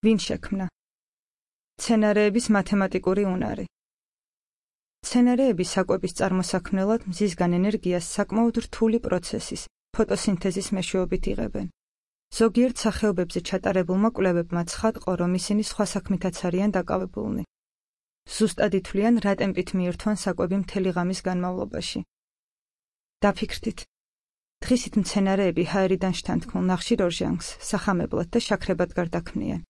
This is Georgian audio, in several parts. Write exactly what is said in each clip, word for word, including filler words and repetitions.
ვინ შექმნა? მცენარეების მათემატიკური უნარი. მცენარეები საკვების წარმოსაქმნელად მზისგან ენერგიას საკმაოდ რთული პროცესის, ფოტოსინთეზის მეშვეობით იღებენ. ზოგიერთ სახეობებზე ჩატარებულმა კვლევებმა ცხადყო, რომ ისინი სხვა საქმითაც არიან დაკავებულნი. ზუსტად ითვლიან, რა ტემპით მიირთვან საკვები მთელი ღამის განმავლობაში. დაფიქრდით. დღისით მცენარეები ჰაერიდან შთანთქმულ ნახშირ ორჟანგს სახამებლად და შაქრებად გარდაქმნიან.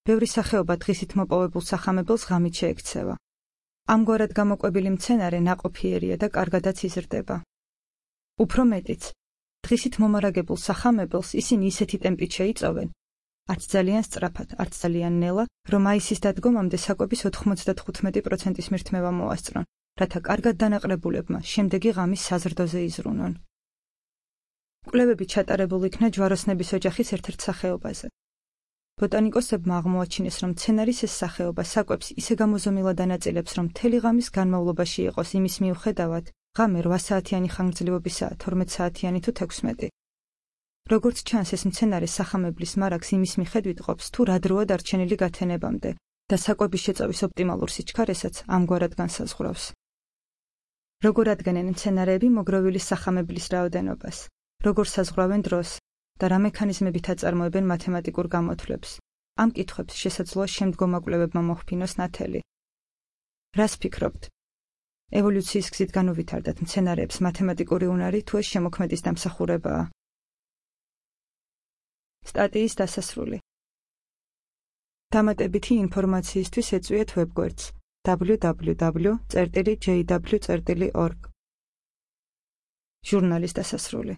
ბევრი სახეობა დღისით მოპოვებულ სახამებელს ღამით შეექცევა. ამგვარად გამოკვებილი მცენარე ნაყოფიერია და კარგადაც იზრდება. უფრო მეტიც, დღისით მომარაგებულ სახამებელს ისინი ისეთი ტემპით შეიწოვენ, არც ძალიან სწრაფად, არც ძალიან ნელა, რომ მაისის დადგომამდე საკვების ოთხმოცდათხუთმეტი პროცენტის მირთმევა მოასწრონ, რათა კარგად დანაყრებულებმა შემდეგი ღამის საზრდოზე იზრუნონ. კვლევები ჩატარებულ იქნა ჯვაროსნების ოჯახის ერთ-ერთ სახეობაზე. ბოტანიკოსებმა აღმოაჩინეს, რომ მცენარის ეს სახეობა საკვებს ისე გამოზომილად ანაწილებს, რომ მთელი ღამის განმავლობაში იყოს იმის მიუხედავად, ღამე რვა საათიანი ხანგრძლივობისაა, თორმეტ საათიანი თუ თექვსმეტი. როგორც ჩანს, ეს მცენარე სახამებლის მარაგს იმის მიხედვით ყოფს, თუ რა დროა დარჩენილი გათენებამდე და საკვების შეწოვის ოპტიმალურ სიჩქარესაც ამგვარად განსაზღვრავს. როგორ ადგენენ მცენარეები მოგროვილი სახამებლის რაოდენობას, როგორ საზღვრავენ დროს და რა მექანიზმებით აწარმოებენ მათემატიკურ გამოთვლებს. ამ კითხვებს შესაძლოა შემდგომ კვლევებმა მოჰფინოს ნათელი. რას ფიქრობთ? ევოლუციის გზით განუვითარდათ მცენარეებს მათემატიკური უნარი, თუ ეს შემოქმედის დამსახურებაა? სტატიის დასასრული. დამატებითი ინფორმაციისთვის ეწვიეთ ვებგვერდს დაბლიუ დაბლიუ დაბლიუ წერტილი ჯეი დაბლიუ წერტილი ორგ. ჟურნალის დასასრული.